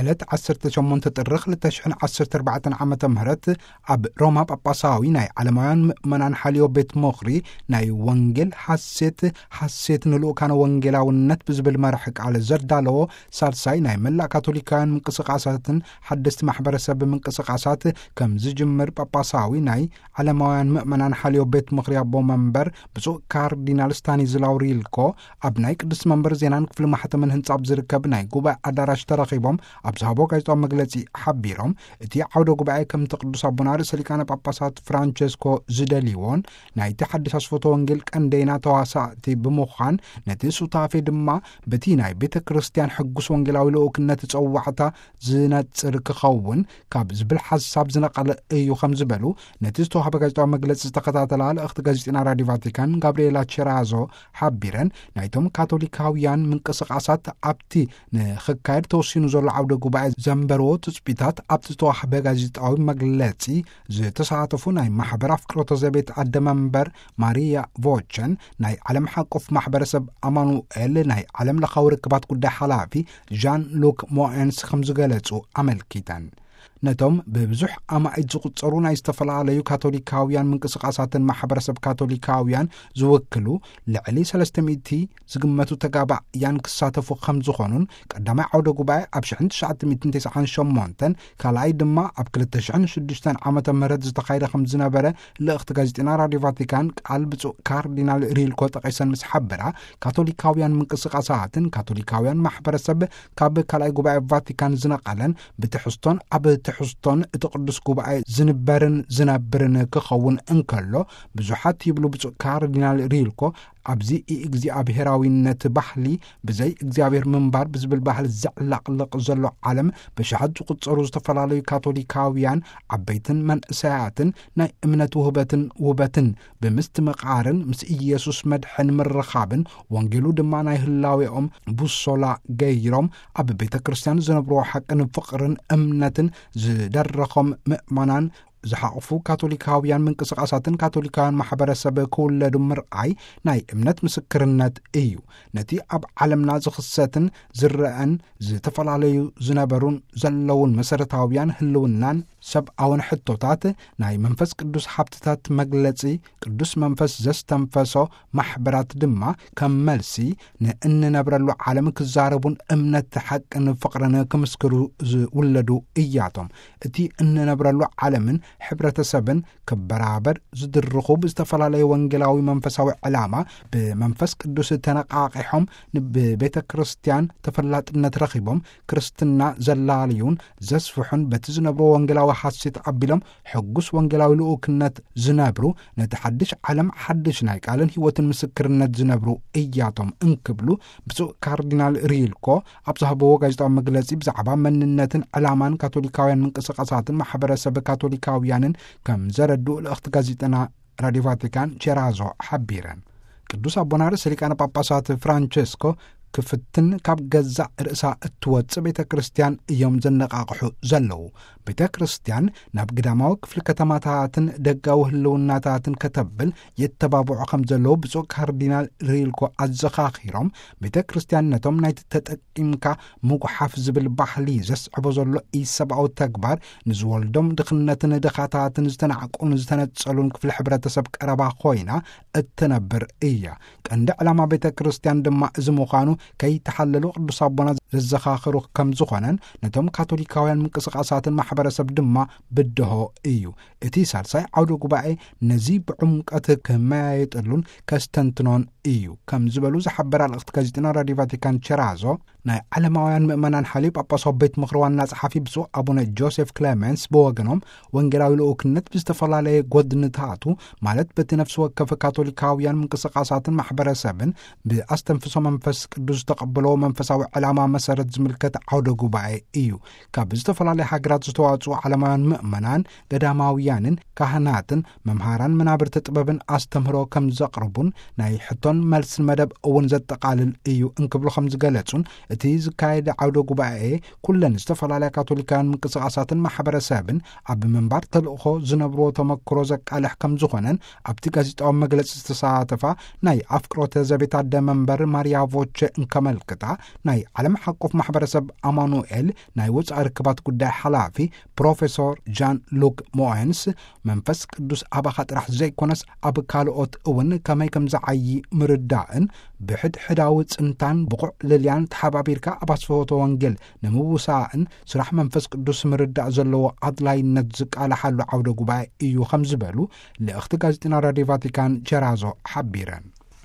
ዕለት ዓሰርተ ሸሞንተ ጥሪ ክልተ ሽሕን ዓሰርተ ኣርባዕተን ዓመተ ምህረት ኣብ ሮማ ጳጳሳዊ ናይ ዓለማውያን ምእመናን ሓልዮ ቤት ምኽሪ ናይ ወንጌል ሓሴት፣ ሓሴት ንልኡካነ ወንጌላውነት ብዝብል መርሒ ቃል ዘዳለዎ ሳልሳይ ናይ መላእ ካቶሊካውያን ምንቅስቃሳትን ሓደስቲ ማሕበረሰብ ምንቅስቃሳት ከም ዝጅምር ጳጳሳዊ ናይ ዓለማውያን ምእመናን ሓልዮ ቤት ምኽሪ ኣቦ መንበር ብፁዕ ካርዲናል ስታኒዝላው ሪልኮ ኣብ ናይ ቅዱስ መንበር ዜናን ክፍሊ ማሕተምን ህንጻ ኣብ ዝርከብ ናይ ጉባኤ ኣዳራሽ ተረኺቦም ኣብ ዝሃቦ ጋዜጣዊ መግለጺ ሓቢሮም፣ እቲ ዓውደ ጉባኤ ከምቲ ቅዱስ ኣቦና ርእሰ ሊቃነ ጳጳሳት ፍራንቸስኮ ዝደልይዎን ናይቲ ሓድሽ ኣስፎቶ ወንጌል ቀንደይና ተዋሳእቲ ብምዃን ነቲ ሱታፌ ድማ በቲ ናይ ቤተ ክርስቲያን ሕጉስ ወንጌላዊ ልኡክነት ጸዋዕታ ዝነጽር ክኸውን ካብ ዝብል ሓሳብ ዝነቐለ እዩ ከም ዝበሉ ነቲ ዝተዋህበ ጋዜጣዊ መግለጺ ዝተኸታተላ ልእኽቲ ጋዜጠና ራዲዮ ቫቲካን ጋብርኤላ ቸራዞ ሓቢረን፣ ናይቶም ካቶሊካውያን ምንቅስቃሳት ኣብቲ ንኽካየድ ተወሲኑ ዘሎ ዓውደ ጉባኤ ዘንበርዎ ትጽቢታት ኣብቲ ዝተዋህበ ጋዜጣዊ መግለጺ ዝተሳተፉ ናይ ማሕበር ኣፍቅሮተ ዘቤት ኣደ መንበር ማሪያ ቮቸን፣ ናይ ዓለም ሓቆፍ ማሕበረሰብ ኣማኑኤል ናይ ዓለም ለኻዊ ርክባት ጉዳይ ሓላፊ ዣን ሉክ ሞኤንስ ከም ዝገለጹ ኣመልኪተን። ነቶም ብብዙሕ ኣማኢት ዝቑጸሩ ናይ ዝተፈላለዩ ካቶሊካውያን ምንቅስቃሳትን ማሕበረሰብ ካቶሊካውያን ዝውክሉ ልዕሊ ሰለስተ ሚእቲ ዝግመቱ ተጋባእያን ክሳተፉ ከም ዝኾኑን፣ ቀዳማይ ዓውደ ጉባኤ ኣብ ሽሕን ትሽዓተ ሚእትን ተስዓን ሸሞንተን፣ ካልኣይ ድማ ኣብ ክልተ ሽሕን ሽዱሽተን ዓመተ ምህረት ዝተኻየደ ከም ዝነበረ ልእኽቲ ጋዜጠና ራዲዮ ቫቲካን ቃል ብፁዕ ካርዲናል ሪልኮ ጠቒሰን ምስ ሓበራ፣ ካቶሊካውያን ምንቅስቃሳትን ካቶሊካውያን ማሕበረሰብ ካብ ካልኣይ ጉባኤ ቫቲካን ዝነቐለን ብትሕዝቶን ኣብ ትሕዝቶን እቲ ቅዱስ ጉባኤ ዝንበርን ዝነብርን ክኸውን እንከሎ፣ ብዙሓት ይብሉ ብፁዕ ካርዲናል ሪልኮ፣ ኣብዚ እግዚኣብሔራዊነት ባህሊ ብዘይ እግዚኣብሔር ምንባር ብዝብል ባህሊ ዘዕለቕልቕ ዘሎ ዓለም ብሽሓት ዝቑጸሩ ዝተፈላለዩ ካቶሊካውያን ዓበይትን መንእሰያትን ናይ እምነት ውህበትን ውበትን ብምስትምቓርን ምስ ኢየሱስ መድሕን ምርኻብን ወንጌሉ ድማ ናይ ህላዌኦም ቡሶላ ገይሮም ኣብ ቤተ ክርስቲያን ዝነብርዎ ሓቅን ፍቕርን እምነትን ዝደረኾም ምእመናን ዝሓቕፉ ካቶሊካውያን ምንቅስቃሳትን ካቶሊካውያን ማሕበረሰብ ክውለዱ ምርኣይ ናይ እምነት ምስክርነት እዩ። ነቲ ኣብ ዓለምና ዝኽሰትን ዝረአን ዝተፈላለዩ ዝነበሩን ዘለውን መሰረታውያን ህልውናን ሰብኣውን ሕቶታት ናይ መንፈስ ቅዱስ ሃብትታት መግለጺ ቅዱስ መንፈስ ዘስተንፈሶ ማሕበራት ድማ ከም መልሲ ንእንነብረሉ ዓለም ክዛረቡን እምነት ሓቅን ፍቕርን ክምስክሩ ዝውለዱ እያቶም። እቲ እንነብረሉ ዓለምን ሕብረተሰብን ክበራበር ዝድርኹ ብዝተፈላለየ ወንጌላዊ መንፈሳዊ ዕላማ ብመንፈስ ቅዱስ ተነቃቂሖም ብቤተ ክርስቲያን ተፈላጥነት ረኺቦም ክርስትና ዘላልዩን ዘስፍሑን በቲ ዝነብሮ ወንጌላዊ ሓሴት ኣቢሎም ሕጉስ ወንጌላዊ ልኡክነት ዝነብሩ ነቲ ሓድሽ ዓለም ሓድሽ ናይ ቃልን ህይወትን ምስክርነት ዝነብሩ እያቶም እንክብሉ ብፁዕ ካርዲናል ሪልኮ ኣብ ዝሃበዎ ጋዜጣዊ መግለጺ ብዛዕባ መንነትን ዕላማን ካቶሊካውያን ምንቅስቃሳትን ማሕበረሰብ ካቶሊካውያንን ከም ዘረድኡ ልእኽቲ ጋዜጠና ራዲዮ ቫቲካን ቼራዞ ሓቢረን። ቅዱስ ኣቦና ርእሰ ሊቃነ ጳጳሳት ፍራንቸስኮ ክፍትን ካብ ገዛእ ርእሳ እትወጽእ ቤተ ክርስቲያን እዮም ዘነቃቕሑ ዘለዉ። ቤተ ክርስቲያን ናብ ግዳማዊ ክፍሊ ከተማታትን ደጋዊ ህልውናታትን ከተብል የተባብዑ ከም ዘለዉ ብፁዕ ካርዲናል ሪልኮ ኣዘኻኺሮም፣ ቤተ ክርስቲያን ነቶም ናይቲ ተጠቂምካ ምጉሓፍ ዝብል ባህሊ ዘስዕቦ ዘሎ ኢሰብኣዊ ተግባር ንዝወልዶም ድኽነትን ድኻታትን ዝተናዕቁን ዝተነጸሉን ክፍሊ ሕብረተሰብ ቀረባ ኮይና እትነብር እያ። ቀንዲ ዕላማ ቤተ ክርስቲያን ድማ እዚ ምዃኑ ከይተሓለሉ ቅዱስ ኣቦና ዘዘኻኽሩ ከም ዝኾነን ነቶም ካቶሊካውያን ምንቅስቃሳትን ማሕበረሰብ ድማ ብድሆ እዩ። እቲ ሳልሳይ ዓውደ ጉባኤ ነዚ ብዕምቀት ክመያየጠሉን ከስተንትኖን እዩ ከም ዝበሉ ዝሓበራ ልእኽቲ ጋዜጠና ራዲዮ ቫቲካን ቸራዞ፣ ናይ ዓለማውያን ምእመናን ሓልዮ ጳጳሳዊ ቤት ምኽሪ ዋና ጸሓፊ ብፁዕ ኣቡነ ጆሴፍ ክሌመንስ ብወገኖም፣ ወንጌላዊ ልኡክነት ብዝተፈላለየ ጎድንታቱ፣ ማለት በቲ ነፍሲ ወከፍ ካቶሊካውያን ምንቅስቃሳትን ማሕበረሰብን ብኣስተንፍሶ መንፈስ ቅዱስ ዝተቐበሎ መንፈሳዊ ዕላማ መሰረት ዝምልከት ዓውደ ጉባኤ እዩ። ካብ ዝተፈላለያ ሃገራት ዝተዋጽኡ ዓለማውያን ምእመናን፣ ገዳማውያንን ካህናትን መምሃራን መናብርቲ ጥበብን ኣስተምህሮ ከም ዘቕርቡን ናይ ሕቶን መልስን መደብ እውን ዘጠቓልል እዩ እንክብሉ ከም ዝገለጹን፣ እቲ ዝካየድ ዓውደ ጉባኤ ኩለን ዝተፈላለያ ካቶሊካውያን ምንቅስቃሳትን ማሕበረሰብን ኣብ ምንባር ተልእኾ ዝነብርዎ ተመክሮ ዘቃልሕ ከም ዝኾነን ኣብቲ ጋዜጣዊ መግለጺ ዝተሳተፋ ናይ ኣፍቅሮተ ዘቤት ኣደ መንበር ማርያ ቮቸ እንከመልክታ፣ ናይ ዓለም ሓቆፍ ማሕበረሰብ ኣማኑኤል ናይ ወፃኢ ርክባት ጉዳይ ሓላፊ ፕሮፌሶር ጃን ሉክ ሞኤንስ፣ መንፈስ ቅዱስ ኣባኻ ጥራሕ ዘይኮነስ ኣብ ካልኦት እውን ከመይ ከም ዝዓዪ ምርዳእን፣ ብሕድሕዳዊ ጽንታን ብቑዕ ልልያን ተሓባቢርካ ኣብ ኣስፍሆተ ወንጌል ንምውሳእን ስራሕ መንፈስ ቅዱስ ምርዳእ ዘለዎ ኣድላይነት ዝቃላሓሉ ዓውደ ጉባኤ እዩ ከም ዝበሉ ልእኽቲ ጋዜጠና ራድዮ ቫቲካን ቸራዞ ሓቢረን።